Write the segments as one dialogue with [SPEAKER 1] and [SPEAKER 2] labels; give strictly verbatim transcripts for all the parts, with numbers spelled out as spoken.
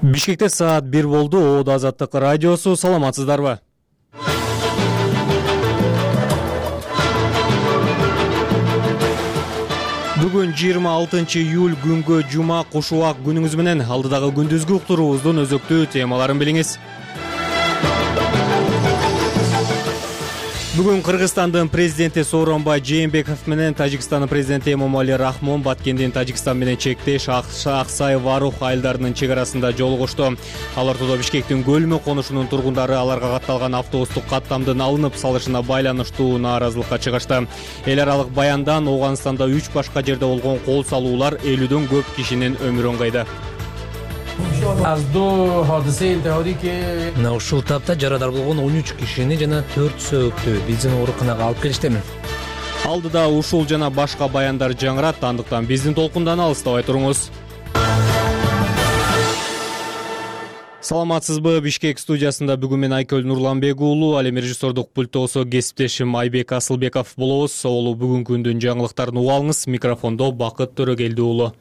[SPEAKER 1] Бишкекте саат бир болду. Оодо Азаттык радиосу. Саламатсыздарбы? Бүгүн жыйырма алтынчы июль күнгө жума куш убак күнүңүз менен. Алдыдагы күндүзгү уктуруубуздун өзөктүү темаларын билиңиз. Бүгүн Кыргызстандын президенти Сооронбай Жээнбеков менен Тажикстандын президенти Эмомали Рахмон Баткендин Тажикстан менен чектеш Аксай-Варух айылдарынын чек арасында жолугушту. Ал ортодо Бишкектин Көлмө конушунун тургундары аларга катталган автобустук каттамдын алынып салышына байланыштуу нааразылыкка чыгышты. Эл аралык баяндан Ооганстанда үч башка жерде болгон кол салуулар элүүдөн көп кишинин өмүрүн кыйды.
[SPEAKER 2] Мына ушул тапта жарадар болгон он үч кишини жана төрт сөөктү биздин ооруканага алып келишти.
[SPEAKER 1] Алдыда ушул жана башка баяндар жаңырат, андыктан биздин толкундан алыстабай туруңуз. Саламатсызбы? Бишкек студиясында бүгүн мен Айкөл Нурланбек уулу, ал эми режиссердук пульттосо кесиптешим Айбек Асылбеков болобуз. Олу бүгүнкү күндүн жаңылыктарын уга алыңыз. Микрофондо Бакыт Төрөгелди уулу.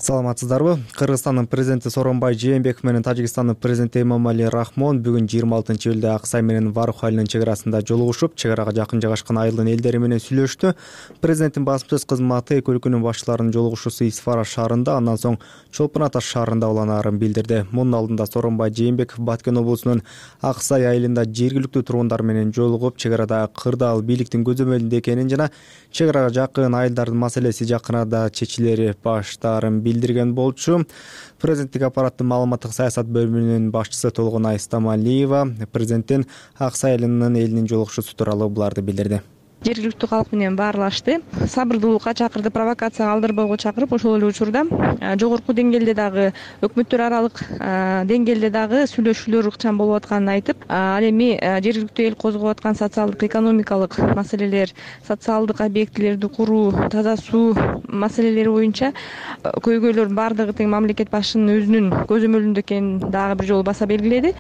[SPEAKER 3] Саламатсыздарбы? Кыргызстандын президенти Сооронбай Жээнбеков менен Тажикстандын президенти Эмомали Рахмон бүгүн жыйырма алтынчы июлда Аксай менен Варух айылынын чек арасында жолугушуп, чек арага жакын жайгашкан айылдын элдери менен сүйлөштү. Президенттин басма сөз кызматы эки өлкөнүн башчыларынын жолугушуусу Исфара шаарында, андан соң Чолпон Ата шаарында уланаарын билдирди. Мунун алдында Сооронбай Жээнбеков Баткен облусунун Аксай айылында жергиликтүү тургундар менен жолугуп, чек арада кырдаал бийликтин көзөмөлүндө экенин жана чек арага жакын айылдардын маселеси жакын арада чечилери баштаарын билдирген болчу. Президенттик аппараттын маалыматтык саясат бөлүмүнүн башчысы Толгонай Стамалиева президенттин Аксай айылынын элинин жолугушуусу тууралуу буларды билдирди.
[SPEAKER 4] Жергиликтүү калк менен баарлашты. Сабырдуулукка чакырды, провокацияга алдырбоого чакырып, ошол эле учурда жогорку деңгээлде дагы өкмөттөр аралык деңгээлде дагы сүйлөшүүлөр ыкчам болуп атканын айтып, ал эми жергиликтүү эл козгоп аткан социалдык, экономикалык маселелер, социалдык объектилерди куруу, таза суу маселелери боюнча көйгөйлөрдүн баардыгы тең мамлекет башчынын өзүнүн көзөмөлүндө экенин дагы бир жолу баса белгиледи.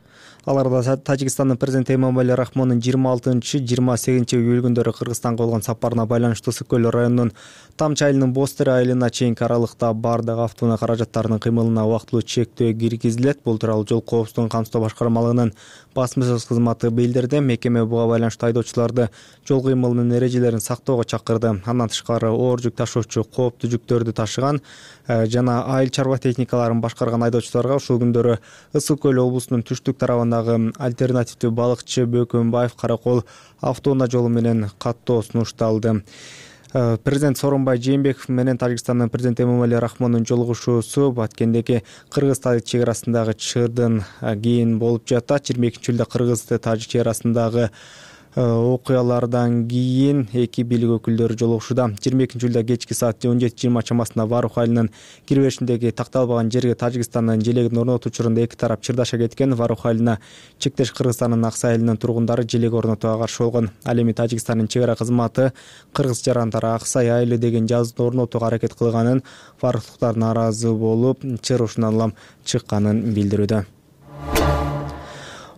[SPEAKER 3] Аларда Тажикстандын президенти Эмомали Рахмондун жыйырма алтынчы жыйырма сегизинчи июль күндөрү Кыргызстанга болгон сапарына байланыштуу Ысык көл районунун Тамчы айылынын Бостер айылына чейинки аралыкта бардык автоунаа каражаттарынын кыймылына убактылуу чектөө киргизилет. Бул тууралуу жол коопсуздугун камсыздоо башкармалыгынын басма сөз кызматы билдирди. Мекеме буга байланыштуу айдоочуларды жол кыймылынын эрежелерин сактоого чакырды. Андан тышкары оор жүк ташуучу кооптуу жүктөрдү ташыган жана айыл чарба техникаларын башкарган айдоочуларга ушул күндөрү Ысык көл облусунун түштүк тарабындагы альтернативдүү балыкчы Бөкөнбаев Каракол автоунаа жолу менен каттоо сунушталды. Президент Сооронбай Жээнбеков менен Тажикстандын президенти Эмомали Рахмондун жолугушуусу Баткендеги кыргыз-тажик чек арасындагы чырдын кийин болуп жатат. жыйырма экинчи июлда кыргыз-тажик чек арасындагы окуялардан кийин эки бийлик өкүлдөрү жолугушууда. жыйырма экинчи июлда кечки саат он жети жыйырма чамасында Варух айылынын кирбешиндеги такталбаган жерге Тажикстандын желегин орнотуу учурунда эки тарап чырдаша кеткен. Варух айылына чектеш Кыргызстандын Аксай айылынын тургундары желек орнотууга каршы болгон. Ал эми Тажикстандын чек ара кызматы кыргыз жарандары Аксай айылы деген жазууну орнотууга аракет кылганын, варухтуктар нааразы болуп, чыр ушундан улам чыкканын билдирүүдө.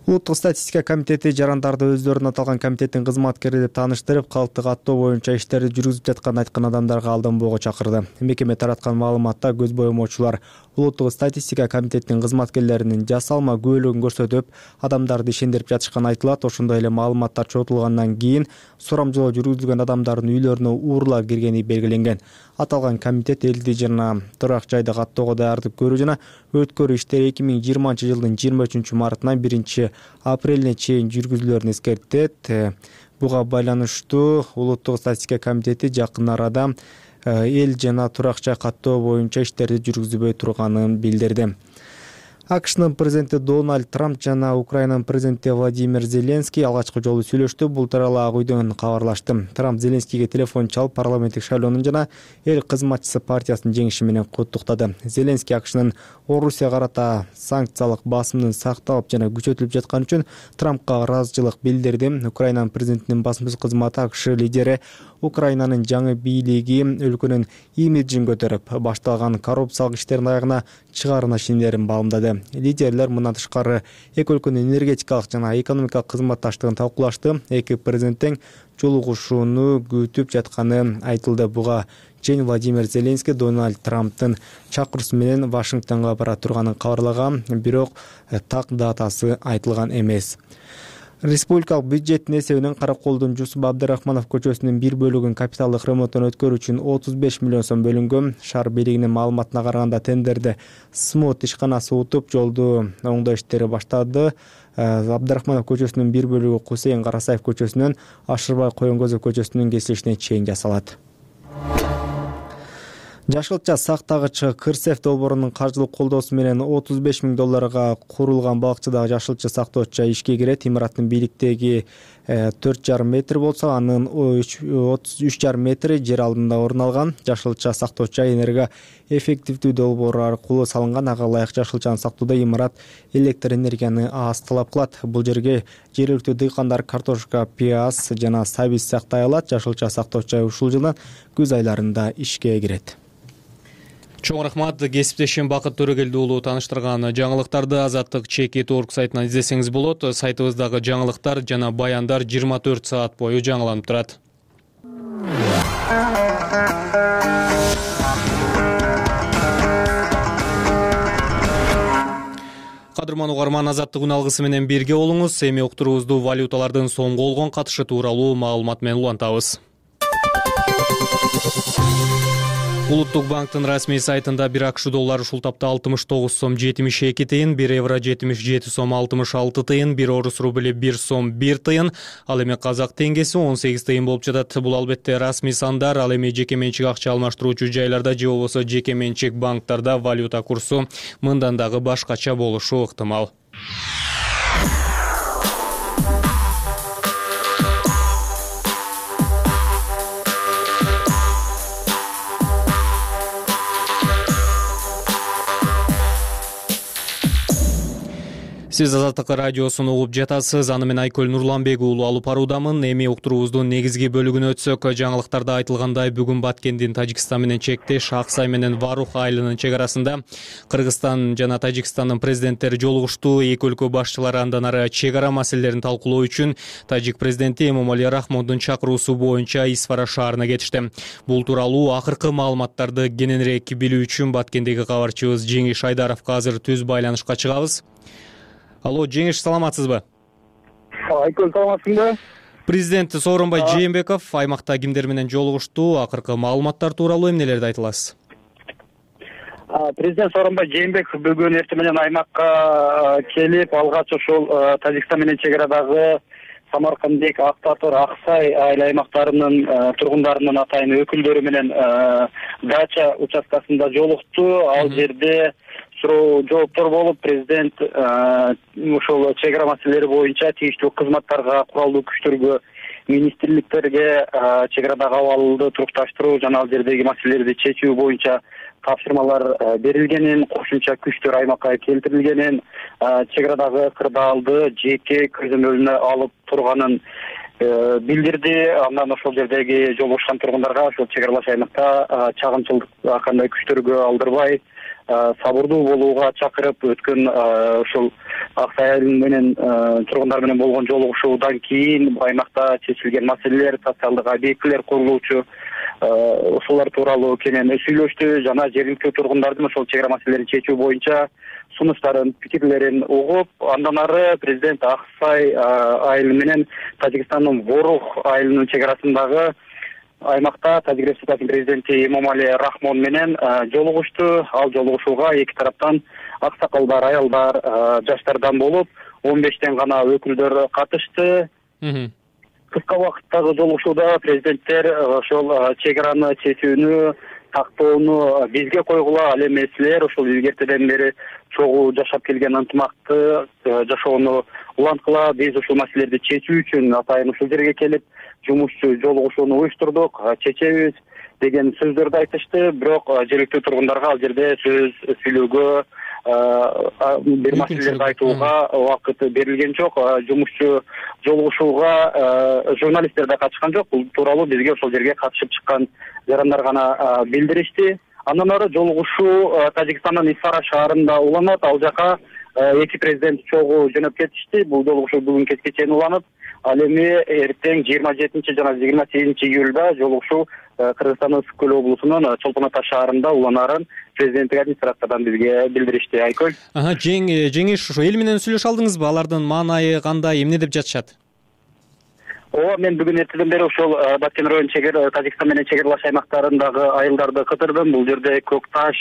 [SPEAKER 3] Улуттук статистика комитети жарандарды өздөрүнүн аталган комитеттин кызматкери деп тааныштырып, калкты каттоо боюнча иштерди жүргүзүп жатканын айткан адамдарга алданбоого чакырды. Мекеме тараткан маалыматта көз боемоочулар Улуттук статистика комитетинин кызматкерлеринин жасалма күбөлүгүн көрсөтүп, адамдарды ишендирип жатышканы айтылат. Ошондой эле маалыматтар чогултулгандан кийин сурамжылоо жүргүзүлгөн адамдардын үйлөрүнө уурулар киргени белгиленген. Аталган комитет элди жана турак жайды каттоого даярдык көрүү жана өткөрүү иштери эки миң жыйырманчы жылдын жыйырма үчүнчү мартынан биринчи апрелине чейин жүргүзүлөрүн эскертет. Буга байланыштуу Улуттук статистика комитети жакын арада эл жана турак жай каттоо боюнча иштерди жүргүзбөй турганын билдирди. АКШнын президенти Дональд Трамп жана Украинанын президенти Владимир Зеленский алгачкы жолу сүйлөштү. Бул тууралуу Ак үйдөн кабарлашты. Трамп Зеленскийге телефон чалып, парламенттик шайлоонун жана эл кызматчысы партиясынын жеңиши менен куттуктады. Зеленский АКШнын Орусия карата санкциялык басымдын сакталып жана күчөтүлүп жатканы үчүн Трампка ыраазычылык билдирди. Украинанын президентинин басма сөз кызматы АКШ лидери Украинанын жаңы бийлиги өлкөнүн имиджин көтөрүп, башталган коррупциялык иштердин аягына чыгаарына ишенимдерин баамдады. берди. Лидерлер мындан тышкары эки өлкөнүн энергетикалык жана экономикалык кызматташтыгын талкуулашты. Эки президент тең жолугушууну күтүп жатканы айтылды. Буга чейин Владимир Зеленский Дональд Трамптын чакыруусу менен Вашингтонго бара турганын кабарлаган, бирок так датасы айтылган эмес. Республикалык бюджеттин эсебинен Караколдун Жусуп Абдрахманов көчөсүнүн бир бөлүгүн капиталдык ремонттон өткөрүү үчүн отуз беш миллион сом бөлүнгөн. Шаар бийлигинин маалыматына караганда тендерди СМОТ ишканасы утуп, жолду оңдоо иштери баштады. Абдрахманов көчөсүнүн бир бөлүгү Кусейин Карасаев көчөсүнөн Ашырбай Коенгозов көчөсүнүн кесилишине чейин жасалат. Жашылча сактагычы Кырсев долбоорунун каржылык колдоосу менен отуз беш миң долларга курулган балыкчыдагы жашылча сактоочу ишке кирет. Имараттын бийликтеги төрт жарым метр болсо, анын отуз үч жарым метри жер алдында орун алган. Жашылча сактоочу энерго эффективдүү долбоор аркылуу салынган. Ага ылайык жашылчаны сактоодо имарат электр энергияны аз талап кылат. Бул жерге жергиликтүү дыйкандар картошка, пияз жана сабиз сактай алат. Жашылча сактоочу ушул жылдын күз айларында ишке кирет.
[SPEAKER 1] Чоң рахмат. Кесиптешим Бакыт Төрөгелди уулу тааныштырган жаңылыктарды Азаттык чекит точка орг сайтынан издесеңиз болот. Сайтыбыздагы жаңылыктар жана баяндар жыйырма төрт саат бою жаңыланып турат. Кадырман угарман, Азаттык күн алгысы менен бирге болуңуз. Эми уктуруубузду валюталардын сомго болгон катышы тууралуу маалымат менен улантабыз. Улуттук банктын расмий сайтында бир АКШ доллары ушул тапта алтымыш тогуз сом жетимиш эки тыйын, бир евро жетимиш жети сом алтымыш алты тыйын, бир орус рубли бир сом бир тыйын, ал эми казак теңгеси он сегиз тыйын болуп жатат. Бул албетте расмий сандар, ал эми жеке менчик акча алмаштыруучу жайларда же болбосо жеке менчик банктарда валюта курсу мындан дагы башкача болушу ыктымал. Сиз Азаттык радиосун угуп жатасыз. Аны мен Айкөл Нурланбек уулу алып баруудамын. Эми уктуруубуздун негизги бөлүгүнө өтсөк, жаңылыктарда айтылгандай, бүгүн Баткендин Тажикстан менен чектеш Аксай менен Варух айылынын чек арасында Кыргызстан жана Тажикстандын президенттери жолугушту. Эки өлкө башчылары андан ары чек ара маселелерин талкуулоо үчүн Тажик президенти Эмомали Рахмондун чакыруусу боюнча Исфара шаарына кетишти. Бул тууралуу акыркы маалыматтарды кененирээк билүү үчүн Баткендеги кабарчыбыз Жеңиш Айдаровго азыр түз байланышка чыгабыз. Алло, Жеңиш, саламатсызбы?
[SPEAKER 5] Айкөл, саламатсыңбы?
[SPEAKER 1] Президент Сооронбай Жээнбеков аймакта кимдер менен жолугушту? Акыркы маалыматтар тууралуу эмнелерди айта аласыз?
[SPEAKER 5] Президент Сооронбай Жээнбеков бүгүн эртең менен аймакка келип, алгач ошол Тажикстан менен чек арадагы Самаркандек, Актатор, Аксай айыл аймактарынын тургундарынын атайын өкүлдөрү менен дача участкасында жолукту. Ал жерде суроо жооптор болуп, президент ошол чек ара маселелери боюнча тийиштүү кызматтарга, куралдуу күчтөргө, министрликтерге чек арадагы абалды турукташтыруу жана ал жердеги маселелерди чечүү боюнча тапшырмалар берилгенин, кошумча күчтөр аймакка келтирилгенин, чек арадагы кырдаалды жеке көзөмөлүнө алып турганын билдирди. Андан ошол жердеги жолугушкан тургундарга ошол чек аралаш аймакта чагымчылык кандай күчтөргө алдырбай сабырдуу болууга чакырып, өткөн ошол Аксай айылы менен тургундар менен болгон жолугушуудан кийин аймакта чечилген маселелер, социалдык объектилер курулуучу ошолор тууралуу кенен сүйлөштү жана жергиликтүү тургундардын ошол чек ара маселелерин чечүү боюнча сунуштарын, пикирлерин угуп, андан ары президент Аксай айылы менен Тажикстандын Ворух айылынын чек арасындагы аймакта Тажик Республикасынын президенти Эмомали Рахмон менен жолугушту. Ал жолугушууга эки тараптан аксакалдар, аялдар, жаштардан болуп, он бештен гана өкүлдөр катышты. Кыска убакыттагы жолугушууда президенттер ошол чек араны чечүүнү, тактоону бизге койгула, ал эми силер ошол илгертеден бери чогуу жашап келген ынтымакты жашоону уланткыла, биз ушул маселелерди чечүү үчүн атайын ушул жерге келип жумушчу жолугушууну уюштурдук, чечебиз деген сөздөрдү айтышты. Бирок жергиликтүү тургундарга ал жерде сөз сүйлөөгө, бир маселелерди айтууга убакыт берилген жок. Жумушчу жолугушууга журналисттер да катышкан жок. Бул тууралуу бизге ошол жерге катышып чыккан жарандар гана билдиришти. Андан ары жолугушуу Тажикстандын Исфара шаарында уланат. Ал жака эки президент чогуу жөнөп кетишти. Бул жолугушуу бүгүн кечке чейин уланып, ал эми эртең жыйырма жетинчи жана жыйырма сегизинчи июлда жолугушуу Кыргызстандын Ысык көл облусунун Чолпон Ата шаарында уланарын президенттик администрациядан бизге билдиришти. Айкөл.
[SPEAKER 1] Ага, жеңиш ошо эл менен сүйлөшө алдыңызбы? Алардын маанайы кандай, эмне деп жатышат?
[SPEAKER 5] Ооба, мен бүгүн эртеден бери ошол Баткен район чегер Тажикстан менен чегарлаш аймактарындагы айылдарды кыдырдым. Бул жерде Көк Таш,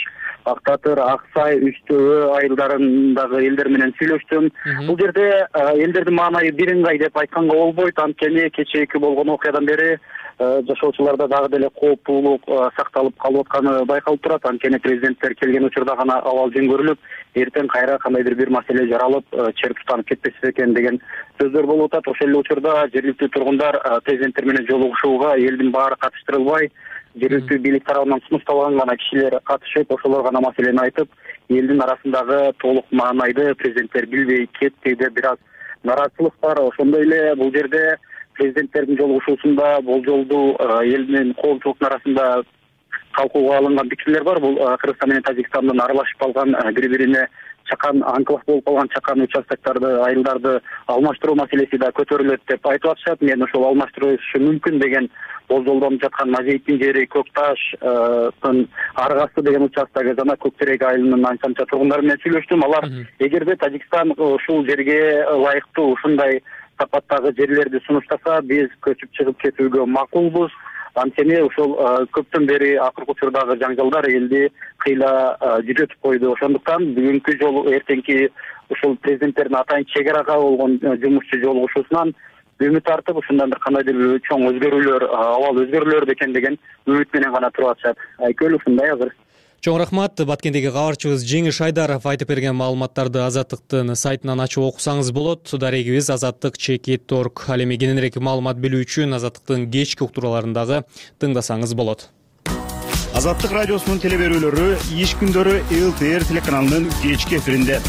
[SPEAKER 5] Ак Татыр, Аксай, Үч Төбө айылдарындагы элдер менен сүйлөштүм. Бул жерде элдердин маанайы бирыңгай деп айтканга болбойт. Анткени кечээки болгон окуядан бери жашоочуларда дагы деле кооптуулук сакталып калып атканы байкалып турат. Анткени президенттер келген учурда гана абал жөн эртең кайра кандайдыр бир маселе жаралып, чер тутанып кетпеси экен деген сөздөр болуп атат. Ошол эле учурда жергиликтүү тургундар президенттер менен жолугушууга элдин баары катыштырылбай, жергиликтүү бийлик тарабынан сунушталган гана кишилер катышып, ошолор гана маселени айтып, элдин арасындагы толук маанайды президенттер билбей кетти деп бир аз нараазычылык бар. Ошондой эле бул жерде президенттердин жолугушуусунда болжолдуу элдин коомчулуктун арасында талкууга алынган пикирлер бар. Бул Кыргызстан менен Тажикстандын аралашып калган, бири-бирине чакан анклав болуп калган чакан участоктарды, айылдарды алмаштыруу маселеси да көтөрүлөт деп айтып атышат. Мен ошол алмаштырышы мүмкүн деген болжолдонуп жаткан Мажейиттин жери Көк Таштын Аргасы деген участогу жана Көк Терек айылынын анча-мынча тургундары менен сүйлөштүм. Алар эгерде Тажикстан ушул жерге ылайыктуу ушундай сапаттагы жерлерди сунуштаса, биз көчүп чыгып кетүүгө макулбуз. Анткени ошол көптөн бери акыркы учурдагы жаңжалдар элди кыйла жүдөтүп койду. Ошондуктан бүгүнкү жолу эртеңки ушул президенттердин атайын чек арага болгон жумушчу жолугушуусунан үмүт артып, ушундан бир кандайдыр бир чоң өзгөрүүлөр, абал өзгөрүлөр экен деген үмүт менен гана туруп атышат. Айкөл, ушундай азыр.
[SPEAKER 1] Чоң рахмат. Баткендеги кабарчыбыз Жеңиш Айдаров айтып берген маалыматтарды Азаттыктын сайтынан ачып окусаңыз болот. Дарегибиз азаттык чекит точка орг. Ал эми кененирээк маалымат билүү үчүн Азаттыктын кечки уктурууларындагы тыңдасаңыз болот.
[SPEAKER 6] Азаттык радиосунун телеберүүлөрү иш күндөрү эл тэ эр телеканалынын кечки эфиринде.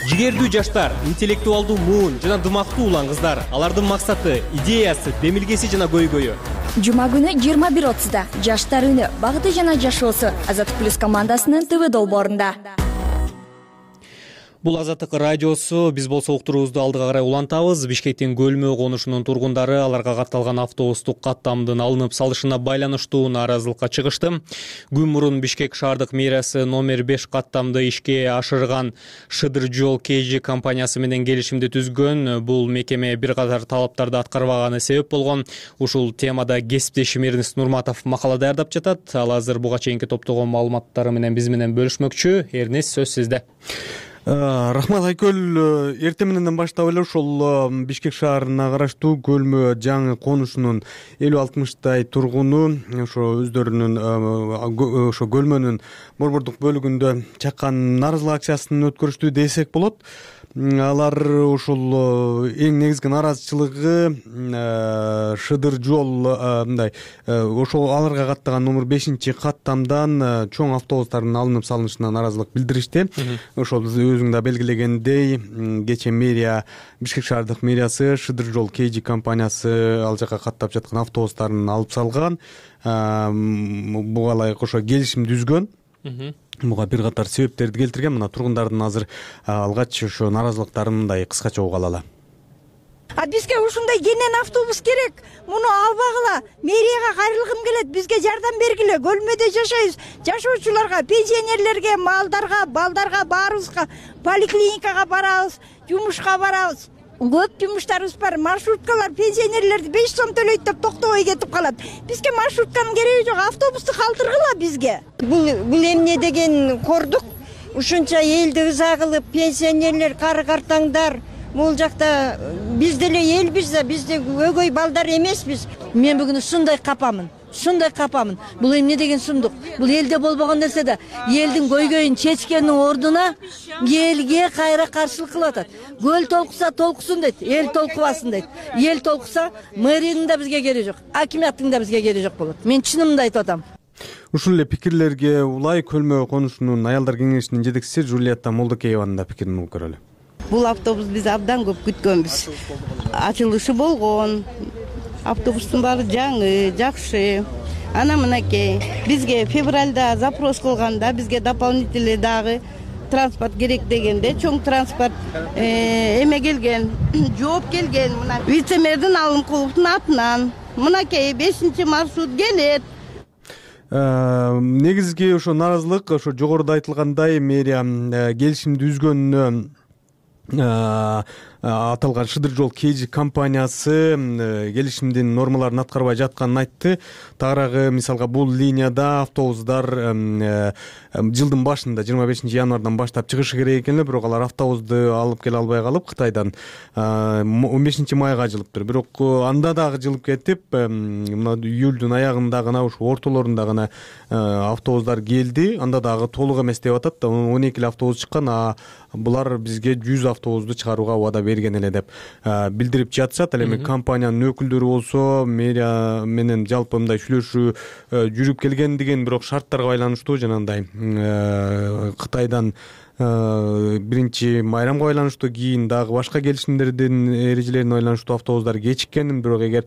[SPEAKER 1] Жигердүү жаштар, интеллектуалдуу муун жана дымактуу улан кыздар, алардын максаты, идеясы, демилгеси жана көйгөйү.
[SPEAKER 7] Жума күнү жыйырма бир отузда жаштар үнү, багыты жана жашоосу Азаттык плюс командасынын ТВ долбоорунда.
[SPEAKER 1] Бул Азаттык радиосу. Биз болсо уктуруубузду алдыга карай улантабыз. Бишкектин Көлмө конушунун тургундары аларга катталган автобустук каттамдын алынып салышына байланыштуу нааразылыкка чыгышты. Күн мурун Бишкек шаардык мэриясы номер беш каттамды ишке ашырган Шыдыр жол кей жи компаниясы менен келишимди түзгөн. Бул мекеме бир катар талаптарды аткарбаганы себеп болгон. Ушул темада кесиптешим Эрнест Нурматов макала даярдап жатат. Ал азыр буга чейинки топтогон маалыматтары менен биз менен бөлүшмөкчү. Эрнест, сөз сизде.
[SPEAKER 8] Рахмат, Айкөл. Эртең менен баштап эле ушул Бишкек шаарына караштуу Көлмө жаңы конушунун элүү алтымыштай тургуну ошо өздөрүнүн ошо Көлмөнүн борбордук бөлүгүндө чаккан нааразылык акциясын өткөрүштү десек болот. Алар ушул эң негизги нааразычылыгы Шыдыр жол мындай ошол аларга каттаган номер бешинчи каттамдан чоң автобустардын алынып салынышына нааразылык билдиришти. Ошол өзүң да белгилегендей, кечээ мэрия, Бишкек шаардык мэриясы Шыдыр жол кей жи компаниясы ал жака каттап жаткан автобустарын алып салган. Буга ылайык ошо келишим түзгөн. Буга бир катар себептерди келтирген. Мына тургундардын азыр алгач ошо нааразылыктарын мындай кыскача угуп алалы.
[SPEAKER 9] А бизге ушундай кенен автобус керек. Муну албагыла. Мэрияга кайрылгым келет. Бизге жардам бергиле. Көлмөдө жашайбыз. Жашоочуларга, пенсионерлерге, малдарга, балдарга баарыбызга поликлиникага барабыз, жумушка барабыз. Көп жумуштарыбыз бар. Маршруткалар пенсионерлерди беш сом төлөйт деп токтобой кетип калат. Бизге маршрутканын кереги жок. Автобусту калтыргыла бизге.
[SPEAKER 10] Бул бул эмне деген кордук? Ушунча элди ыза кылып, пенсионерлер, кары картаңдар бул жакта биз деле элбиз да, биз де өгөй балдар эмеспиз.
[SPEAKER 9] Мен бүгүн ушундай капамын. Ушундай капамын. Бул эмне деген сундук? Бул элде болбогон нерсе да. Элдин көйгөйүн чечкендин ордуна элге кайра каршылык кылып атат. Көл толкуса толкусун дейт, эл толкубасын дейт. Эл толкуса мэриянын да бизге кереги жок, акиматтын да бизге кереги жок болот. Мен чынымды айтып атам.
[SPEAKER 8] Ушул эле пикирлерге улай Көлмө конушунун аялдар кеңешинин жетекчиси Жулиетта Молдокееванын да пикирин угуп көрөлү.
[SPEAKER 11] Бул автобус биз абдан көп күткөнбүз. Ачылышы болгон. Автобустун баары жаңы, жакшы. Ана мынакей бизге февралда запрос кылганда бизге дополнительный дагы транспорт керек дегенде чоң транспорт эме келген, жооп келген. Мына вице-мэрдин Алымкуловдун атынан мынакей бешинчи маршрут келет.
[SPEAKER 8] Негизги ошо нааразылык ошо жогоруда айтылгандай мэрия келишимди үзгөнүнө аталган Шыдыр жол Кж компаниясы келишимдин нормаларын аткарбай жатканын айтты. Тагыраагы мисалга бул линияда автобустар жылдын башында жыйырма бешинчи январдан баштап чыгышы керек экен эле, бирок алар автобусту алып келе албай калып Кытайдан он бешинчи майга жылыптыр. Бирок анда дагы жылып кетип, мына июлдун аягында гана ушу ортолорунда гана автобустар келди. Анда дагы толук эмес деп атат. он эки эле автобус чыккан, а булар бизге жүз автобусту чыгарууга убада берген эле деп билдирип жатышат. Ал эми компаниянын өкүлдөрү болсо мэрия менен жалпы мындай сүйлөшүү жүрүп келген деген, бирок шарттарга байланыштуу жанагындай Кытайдан биринчи майрамга байланыштуу, кийин дагы башка келишимдердин эрежелерине байланыштуу автобустар кечиккен. Бирок эгер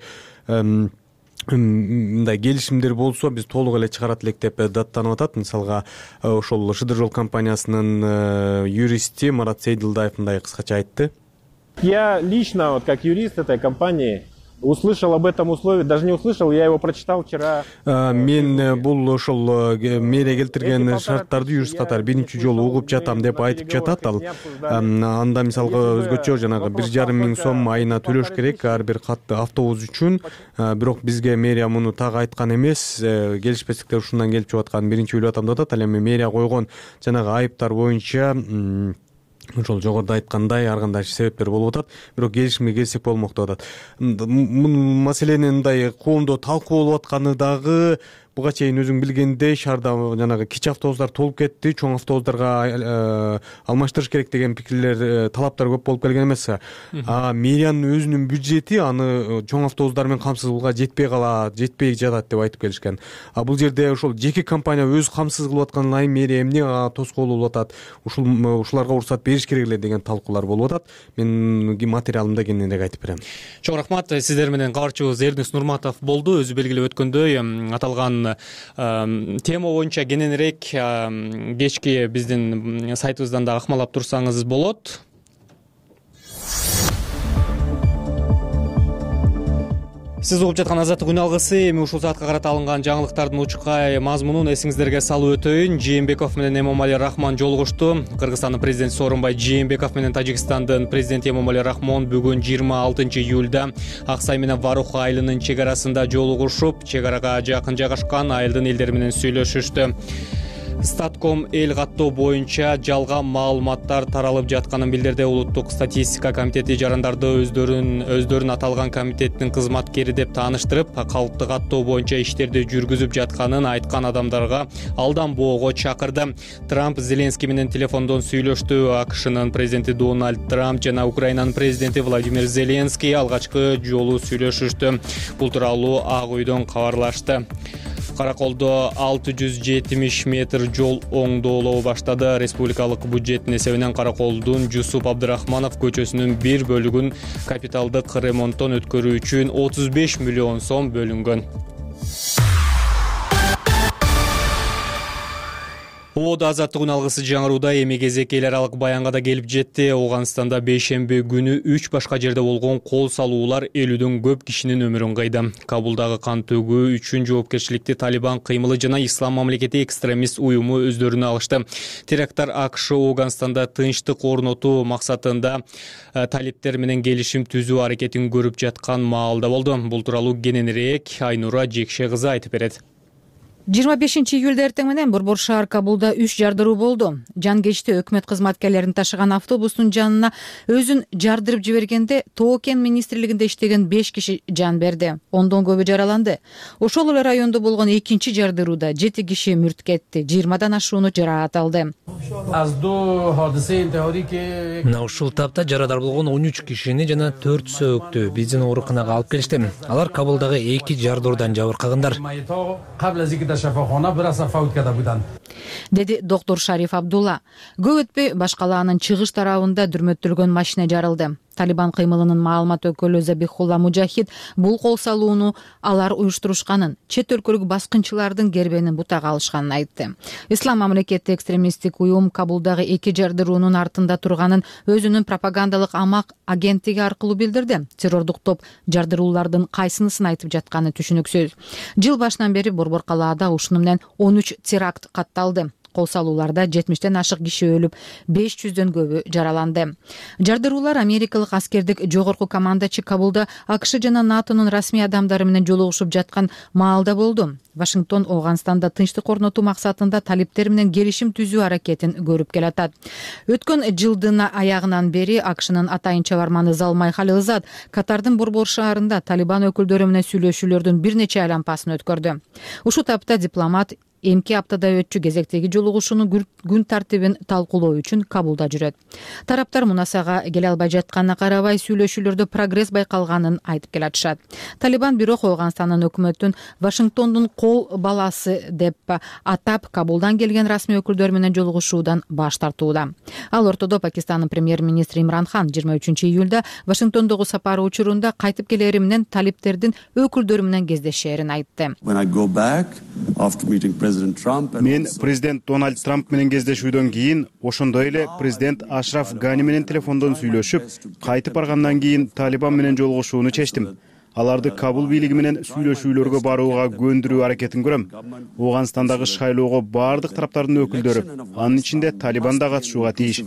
[SPEAKER 8] мындай келишимдер болсо биз толук эле чыгарат элек деп даттанып атат. Мисалга ошол Шыдыр жол компаниясынын юристи Марат Сейдилдаев мындай кыскача айтты.
[SPEAKER 12] Я лично, вот как юрист этой компании, услышал об этом условии, даже не услышал, я его прочитал вчера.
[SPEAKER 8] Мен бул ошол мэрия келтирген шарттарды юрист катары биринчи жолу угуп жатам деп айтып жатат. Ал анда мисалга өзгөчө жанагы бир жарым миң сом айына төлөш керек ар бир катты автобус үчүн. Бирок бизге мэрия муну так айткан эмес, келишпестиктер ушундан келип чыгып атканын биринчи ойлоп атам деп атат. Ал эми мэрия койгон жанагы айыптар боюнча ошол жогоруда айткандай ар кандай себептер болуп атат. Бирок келишимге келсек болмок деп атат. Маселенин мындай коомдо талкуу болуп атканы дагы буга чейин өзүң билгендей шаарда жанагы кичи автобустар толуп кетти, чоң автобустарга алмаштырыш керек деген пикирлер, талаптар көп болуп келген эмес. А мэриянын өзүнүн бюджети аны чоң автобустар менен камсыздуулукка жетпей калат, жетпей жатат деп айтып келишкен. А бул жерде ошол жеке компания өзү камсыз кылып аткандан кийин мэрия эмне тоскоол болуп атат, ушул ушуларга уруксат бериш керек эле деген талкуулар болуп атат. Мен материалымда кененирээк айтып берем.
[SPEAKER 1] Чоң рахмат. Сиздер менен кабарчыбыз Эрдинс Нурматов болду. Өзү белгилеп өткөндөй аталган тема боюнча кененирээк кечки биздин сайтыбыздан да акмалап турсаңыз болот. Сиз угуп жаткан Азаттык үн алгысы. Эми ушул саатка карата алынган жаңылыктардын учкай мазмунун эсиңиздерге салып өтөйүн. Жээнбеков менен Эмомали Рахмон жолугушту. Кыргызстандын президенти Сооронбай Жээнбеков менен Тажикстандын президенти Эмомали Рахмон бүгүн жыйырма алтынчы июлда Аксай менен Варух айылынын чек арасында жолугушуп, чек арага жакын жайгашкан айылдын элдери менен сүйлөшүштү. Статком эл каттоо боюнча жалган маалыматтар таралып жатканын билдирди. Улуттук статистика комитети жарандарды өздөрүн өздөрүн аталган комитеттин кызматкери деп тааныштырып, калкты каттоо боюнча иштерди жүргүзүп жатканын айткан адамдарга алданбоого чакырды. Трамп Зеленский менен телефондон сүйлөштү. АКШнын президенти Дональд Трамп жана Украинанын президенти Владимир Зеленский алгачкы жолу сүйлөшүштү. Бул тууралуу Ак үйдөн кабарлашты. Караколдо алты жүз жетимиш метр жол оңдоолоо баштады. Республикалык бюджеттин эсебинен Караколдун Жусуп Абдырахманов көчөсүнүн бир бөлүгүн капиталдык ремонттон өткөрүү үчүн отуз беш миллион сом бөлүнгөн. Оодо Азаттык үн алгысы жаңырууда эми кезек эл аралык баянга да келип жетти. Ооганстанда бейшемби күнү үч башка жерде болгон кол салуулар элүүдөн көп кишинин өмүрүн кыйды. Кабулдагы кан төгүү үчүн жоопкерчиликти Талибан кыймылы жана Ислам мамлекети экстремист уюму өздөрүнө алышты. Теракттар АКШ Ооганстанда тынчтык орнотуу максатында талиптер менен келишим түзүү аракетин көрүп жаткан маалда болду. Бул тууралуу кененирээк Айнура Жекше кызы айтып берет.
[SPEAKER 13] жыйырма бешинчи июлда эртең менен Борбор шаар Кабулда үч жардыруу болду. Жан кечти өкмөт кызматкерлерин ташыган автобустун жанына өзүн жардырып жибергенде Тоокен министрлигинде иштеген беш киши жан берди. Ондон көбү жараланды. Ошол эле райондо болгон экинчи жардырууда жети киши мүрт кетти, жыйырмадан ашууну жараат алды.
[SPEAKER 2] Мына ушул тапта жарадар болгон он үч кишини жана төрт сөөктү биздин ооруканага алып келишти. Алар Кабулдагы эки жардыруудан жабыркагандар.
[SPEAKER 13] Деди доктор Шариф Абдулла. Көп өтпөй башкалаанын чыгыш тарабында дүрмөттөлгөн машина жарылды. Талибан кыймылынын маалымат өкүлү Забихулла Мужахид бул кол салууну алар уюштурушканын, чет өлкөлүк баскынчылардын кербенин бутага алышканын айтты. Ислам мамлекети экстремисттик уюм Кабулдагы эки жардыруунун артында турганын өзүнүн пропагандалык амак агенттиги аркылуу билдирди. Террордук топ жардыруулардын кайсынысын айтып жатканы түшүнүксүз. Жыл башынан бери Борбор калаада ушуну менен он үч теракт катталды. Кол салууларда жетимиштен ашык киши өлүп, беш жүздөн көбү жараланды. Жардыруулар америкалык аскердик жогорку командачы Кабулда АКШ жана НАТОнун расмий адамдары менен жолугушуп жаткан маалда болду. Вашингтон Ооганстанда тынчтык орнотуу максатында талиптер менен келишим түзүү аракетин көрүп келатат. Өткөн жылдын аягынан бери АКШнын атайын чабарманы Залмай Халилзад Катардын Борбор шаарында Талибан өкүлдөрү менен сүйлөшүүлөрдүн бир нече айлампасын өткөрдү. Ушул тапта дипломат эмки аптада өтчү кезектеги жолугушуунун күн тартибин талкуулоо үчүн Кабулда жүрөт. Тараптар мунасага келе албай жатканына карабай сүйлөшүүлөрдө прогресс байкалганын айтып келатышат. Талибан бирок Ооганстандын өкмөтүн Вашингтондун кол баласы деп атап Кабулдан келген расмий өкүлдөр менен жолугушуудан баш тартууда. Ал ортодо Пакистандын премьер-министри Имран Хан жыйырма үчүнчү июлда Вашингтондогу сапары учурунда кайтып келери менен талиптердин өкүлдөрү менен кездешээрин айтты.
[SPEAKER 6] Мен президент Дональд Трамп менен кездешүүдөн кийин, ошондой эле президент Ашраф Гани менен телефондон сүйлөшүп, кайтып баргандан кийин Талибан менен жолугушууну чечтим. Аларды Кабул бийлиги менен сүйлөшүүлөргө барууга көндүрүү аракетин көрөм. Ооганстандагы шайлоого бардык тараптардын өкүлдөрү, анын ичинде Талибан да катышууга тийиш.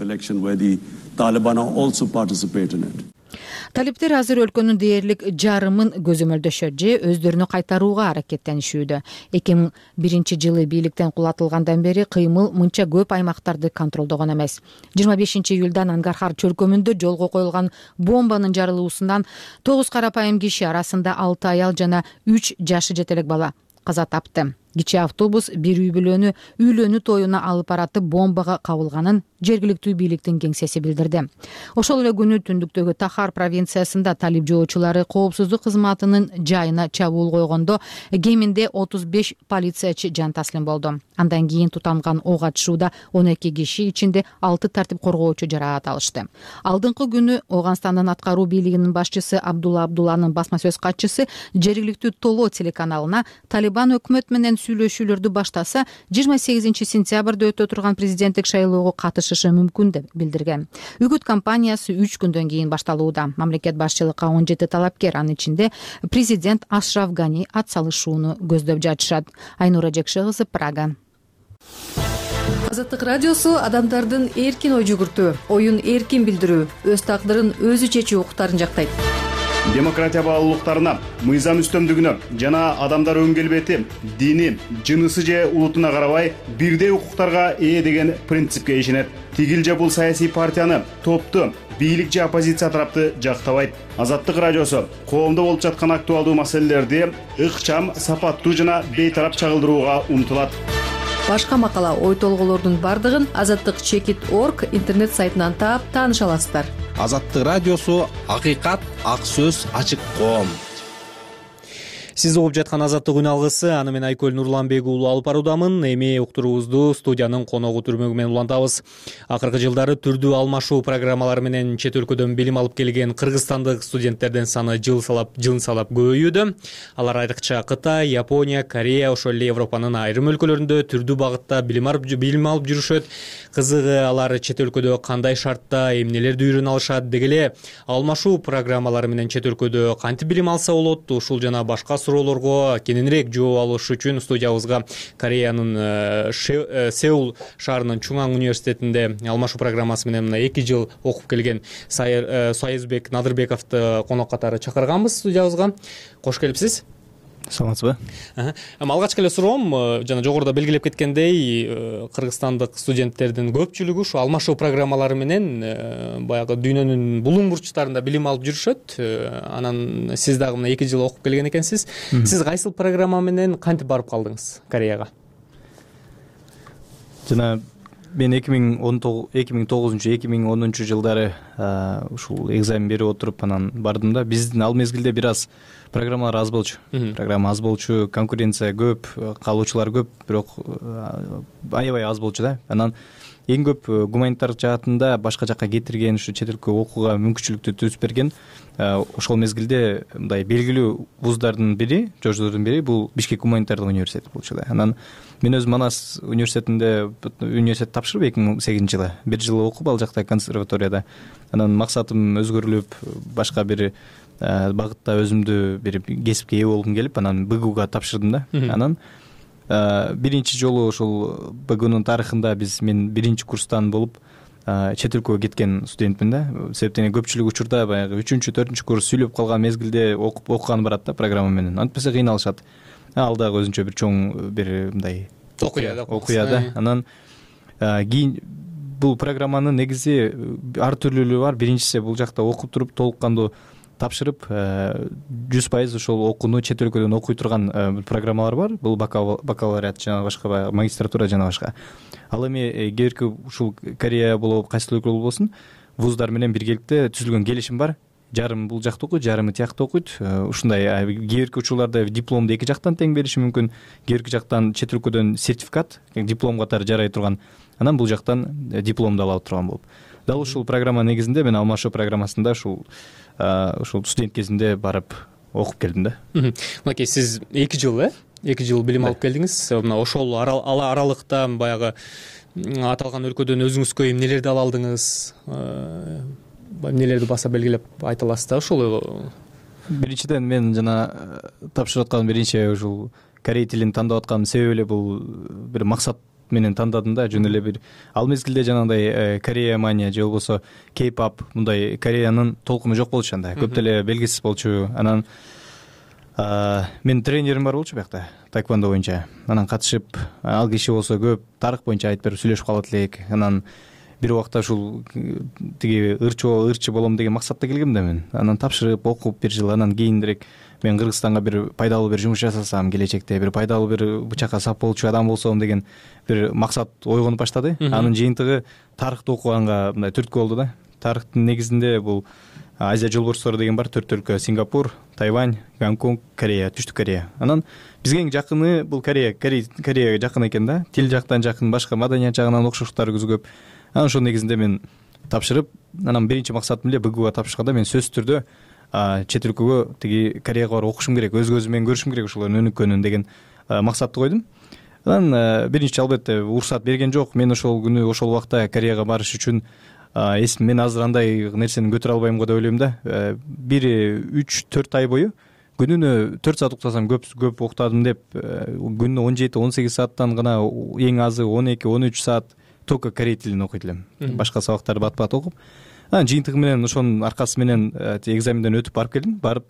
[SPEAKER 13] Талиптер азыр өлкөнүн дээрлик жарымын көзөмөлдөшөт же өздөрүнө кайтарууга аракеттенишүүдө. эки миң биринчи жылы бийликтен кулатылгандан бери кыймыл мынча көп аймактарды контролдогон эмес. жыйырма бешинчи июлдан Ангархар чөлкөмүндө жолго коюлган бомбанын жарылуусунан тогуз карапайым киши арасында алты аял жана үч жашы жетелек бала каза тапты. Кичи автобус бир үй бүлөнү үйлөнүү тоюна алып баратып бомбага кабылганын жергиликтүү бийликтин кеңсеси билдирди. Ошол эле күнү түндүктөгү Тахар провинциясында талип жоочулары коопсуздук кызматынын жайына чабуул койгондо кеминде отуз беш полициячы жан таслим болду. Андан кийин тутанган ок атышууда он эки киши, ичинде алты тартип коргоочу жараат алышты. Алдыңкы күнү Ооганстандын аткаруу бийлигинин башчысы Абдулла Абдулланын басма сөз катчысы жергиликтүү Толо телеканалына Талибан өкмөт менен сүйлөшүүлөрдү баштаса, жыйырма сегизинчи сентябрда өтө турган президенттик шайлоого катышышы мүмкүн деп билдирген. Үгүт кампаниясы үч күндөн кийин башталууда. Мамлекет башчылыкка он жети талапкер, анын ичинде президент Ашраф Гани атсалышууну көздөп жатышат. Айнура Жекше кызы, Прага.
[SPEAKER 14] Азаттык радиосу адамдардын эркин ой жүгүртүү, оюн эркин билдирүү, өз тагдырын өзү чечүү укуктарын жактайт.
[SPEAKER 6] Демократия баалуулуктарына, мыйзам үстөмдүгүнө жана адамдар өн келбети, дини, жынысы же улутуна карабай бирдей укуктарга ээ деген принципке ишенет. Тигил же бул саясий партияны, топту, бийлик же оппозиция тарапты жактабайт. Азаттык радиосу коомдо болуп жаткан актуалдуу маселелерди ыкчам, сапаттуу жана бейтарап чагылдырууга умтулат.
[SPEAKER 14] Башка макала, ой толголордун бардыгын азаттык чекит точка орг интернет сайтынан таап тааныша аласыздар.
[SPEAKER 15] Азаттык радиосу акыйкат, ак сөз, ачык коом.
[SPEAKER 1] Сиз угуп жаткан Азаттык үн алгысы, аны мен Айкөл Нурланбек уулу алып баруудамын. Эми уктуруубузду студиянын коногу түрмөгү менен улантабыз. Акыркы жылдары түрдүү алмашуу программалары менен чет өлкөдөн билим алып келген кыргызстандык студенттердин саны жыл салап жыл салап көбөйүүдө. Алар айрыкча Кытай, Япония, Корея, ошол эле Европанын айрым өлкөлөрүндө түрдүү багытта билим алып жүрүшөт. Кызыгы, алар чет өлкөдө кандай шартта эмнелерди үйрөнө алышат, деги эле алмашуу программалары менен чет өлкөдө кантип билим алса болот, ушул жана башка суроолорго кененирээк жооп алыш үчүн студиябызга Кореянын Сеул шаарынын Чуңаң университетинде алмашуу программасы менен мына эки жыл окуп келген Союзбек Надырбековду конок катары чакырганбыз студиябызга. Кош келипсиз.
[SPEAKER 3] Саламатсызбы?
[SPEAKER 1] Алгачкы эле суроом, жана жогоруда белгилеп кеткендей, кыргызстандык студенттердин көпчүлүгү ушу алмашуу программалары менен баягы дүйнөнүн булуң бурчтарында билим алып жүрүшөт. Анан сиз дагы мына эки жыл окуп келген экенсиз. Сиз кайсыл программа менен кантип барып калдыңыз Кореяга?
[SPEAKER 3] Жана мен эки миң тогузунчу эки миң онунчу жылдары ушул экзамен берип отуруп анан бардым да. Биздин ал мезгилде бир аз программалар аз болчу. Программа аз болчу, конкуренция көп, калуучулар көп, бирок аябай аз болчу да. Анан эң көп гуманитардык жаатында башка жака кетирген, ушу чет элге окууга мүмкүнчүлүктү түзүп берген ошол мезгилде мындай белгилүү вуздардын бири, жождордун бири бул Бишкек гуманитардык университети болчу да. Анан мен өзүм Манас университетинде университет тапшырып эки миң сегизинчи жылы бир жыл окуп ал жакта консерваторияда. Анан максатым өзгөрүлүп, башка бир багытта өзүмдү бир кесипке ээ болгум келип, анан БГУга тапшырдым да. Анан биринчи жолу ошол БГУнун тарыхында биз мен биринчи курстан болуп чет өлкөгө кеткен студентмин да. Себептен көпчүлүк учурда баягы үчүнчү, төртүнчү курс сүйлөп калган мезгилде окуп окуган барат да программа менен. Антпесе кыйналышат. Ал дагы өзүнчө бир чоң бир мындай окуя да. Окуя да. Анан кийин бул программанын негизи ар түрлүүлүгү бар. Биринчиси бул жакта окуп туруп толук кандуу тапшырып жүз пайыз ошол окууну чет өлкөдөн окуй турган программалар бар. Бул бакалавриат жана башка магистратура жана башка. Ал эми кээбирки ушул Корея болобу, кайсы өлкө болбосун, вуздар менен биргеликте түзүлгөн келишим бар. Жарым бул жакта окуйт, жарымы тиякта окуйт. Ушундай кээбирки учурларда дипломду эки жактан тең бериши мүмкүн. Кээбирки жактан чет өлкөдөн сертификат, диплом катары жарай турган. Анан бул жактан дипломду ала турган болуп. Дал ушул программа негизинде мен алмашуу программасында ушул ушул студент кезимде барып окуп келдим да.
[SPEAKER 1] Мынакей сиз эки жыл э эки жыл билим алып келдиңиз. Мына ошол аралыкта баягы аталган өлкөдөн өзүңүзгө эмнелерди ала алдыңыз, эмнелерди баса белгилеп айта аласыз да ошол?
[SPEAKER 3] Биринчиден мен жана тапшырып аткан биринчи ушул корей тилин тандап аткан себеби эле бул бир максат менен тандадым да. Жөн эле бир ал мезгилде жанагындай Корея мания же болбосо K-pop мындай Кореянын толкуну жок болчу анда. Көп деле белгисиз болчу. Анан мен тренерим бар болчу биякта таэквондо боюнча. Анан катышып, ал киши болсо көп тарых боюнча айтып берип сүйлөшүп калат элек. Анан бир убакта ушул тиги ырчы ырчы болом деген максатта келгем да мен. Анан тапшырып окуп бир жыл, анан кийинирээк мен Кыргызстанга бир пайдалуу бир жумуш жасасам, келечекте бир пайдалуу бир бычакка сап болчу адам болсом деген бир максат ойгонуп баштады. Анын жыйынтыгы тарыхты окуганга мындай түрткү болду да. Тарыхтын негизинде бул Азия жолборстору деген бар, төрт өлкө: Сингапур, Тайвань, Гонконг, Корея, Түштүк Корея. Анан бизге эң жакыны бул Корея, Кореяга жакын экен да. Тил жактан жакын, башка маданият жагынан окшоштуктарыбыз көп. Анан ошол негизинде мен тапшырып, анан биринчи максатым эле БГУга тапшырганда мен сөзсүз түрдө чет өлкөгө тиги Кореяга барып окушум керек, өз көзүм менен көрүшүм керек ошолордун өнүккөнүн деген максатты койдум. Анан биринчи албетте уруксат берген жок. Мен ошол күнү ошол убакта Кореяга барыш үчүн эсим мен азыр андай нерсени көтөрө албайм го деп ойлойм да. Бир үч төрт ай бою күнүнө төрт саат уктасам көп көп уктадым деп, күнүнө он жети он сегиз сааттан гана эң азы он эки он үч саат только корей тилин окуйт элем. Башка сабактарды бат бат окуп, анан жыйынтыгы менен ошонун аркасы менен экзаменден өтүп барып келдим. Барып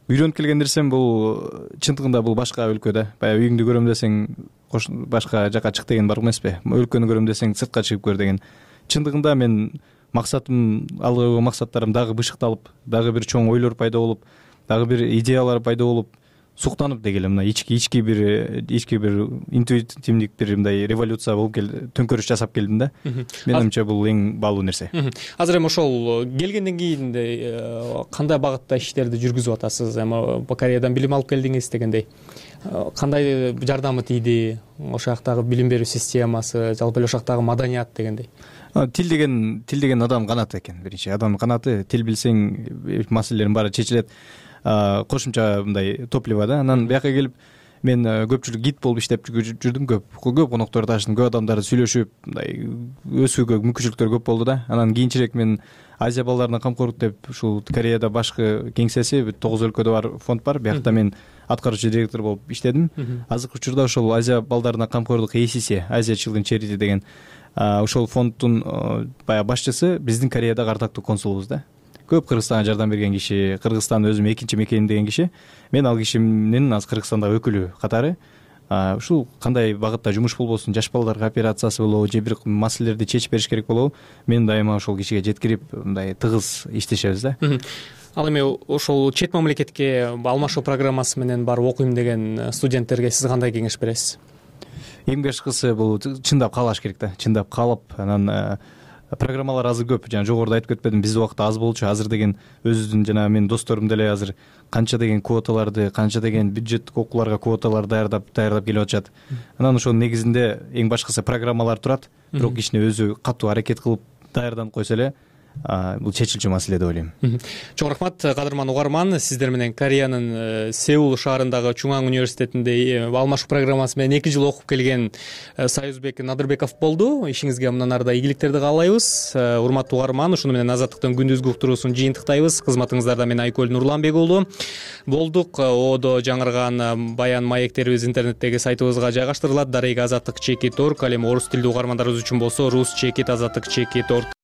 [SPEAKER 3] үйрөнүп келген нерсем бул чындыгында бул башка өлкө да. Баягы үйүңдү көрөм десең башка жака чык деген бар эмеспи? Өлкөнү көрөм десең сыртка чыгып көр деген. Чындыгында мен максатым, алга койгон максаттарым дагы бышыкталып, дагы бир чоң ойлор пайда болуп, дагы бир идеялар пайда болуп, суктанып дегеле мына ички ички бир ички бир интуитивдик бир мындай революция болуп келди, төңкөрүш жасап келдим да. Менимче бул эң баалуу нерсе.
[SPEAKER 1] Азыр эми ошол келгенден кийин кандай багытта иштерди жүргүзүп атасыз? Эми Кореядан билим алып келдиңиз дегендей. Кандай жардамы тийди? Ошол жактагы билим берүү системасы, жалпы эле ошол жактагы маданият дегендей.
[SPEAKER 3] Тил деген тил деген адам канаты экен. Биринчи адам канаты, тил билсең маселелердин баары чечилет. Кошумча мындай топливо да. Анан бияка келип мен көпчүлүк гид болуп иштеп жүрдүм, көп көп конокторду таштым, көп адамдарды сүйлөшүп, мындай өсүүгө мүмкүнчүлүктөр көп болду да. Анан кийинчерээк мен Азия балдарына камкорлук деп ушул Кореяда башкы кеңсеси тогуз өлкөдө бар фонд бар. Биякта мен аткаруучу директор болуп иштедим. Азыркы учурда ошол Азия балдарына камкорлук эй си си, Азия Children Charity деген ошол фонддун баягы башчысы биздин Кореядагы ардактуу консулубуз да. Көп Кыргызстанга жардам берген киши, Кыргызстан өзүм экинчи мекеним деген киши. Мен ал кишинин азыр Кыргызстандагы өкүлү катары ушул кандай багытта жумуш болбосун, жаш балдарга операциясы болобу, же бир маселелерди чечип бериш керек болобу, мен дайыма ошол кишиге жеткирип мындай тыгыз иштешебиз да.
[SPEAKER 1] Ал эми ошол чет мамлекетке алмашуу программасы менен барып окуйм деген студенттерге сиз кандай кеңеш бересиз?
[SPEAKER 3] Эң башкысы бул чындап каалаш керек да. Чындап калып, анан
[SPEAKER 16] программалар азыр көп. Жана жогоруда айтып кетпедим, биздин убакта аз болчу. Азыр деген өзүбүздүн жана менин досторум деле азыр канча деген квоталарды, канча деген бюджеттик окууларга квоталар даярдап даярдап келип атышат. Анан ошонун негизинде эң башкысы программалар турат. Бирок кичине өзү катуу аракет кылып даярданып койсо эле бул чечилчү маселе деп ойлойм.
[SPEAKER 1] Чоң рахмат, кадырман угарман. Сиздер менен Кореянын Сеул шаарындагы Чуңан университетинде алмашуу программасы менен эки жыл окуп келген Союзбек Надырбеков болду. Ишиңизге мындан ары да ийгиликтерди каалайбыз. Урматтуу угарман, ушуну менен Азаттыктын күндүзгү уктуруусун жыйынтыктайбыз. Кызматыңыздарда мен Айкөл Нурланбек уулу болдук. Одо жаңырган баян маектерибиз интернеттеги сайтыбызга жайгаштырылат. Дареги азаттык чекит точка орг. Ал эми орус тилдүү угармандарыбыз үчүн болсо рус чекит азаттык чекит точка орг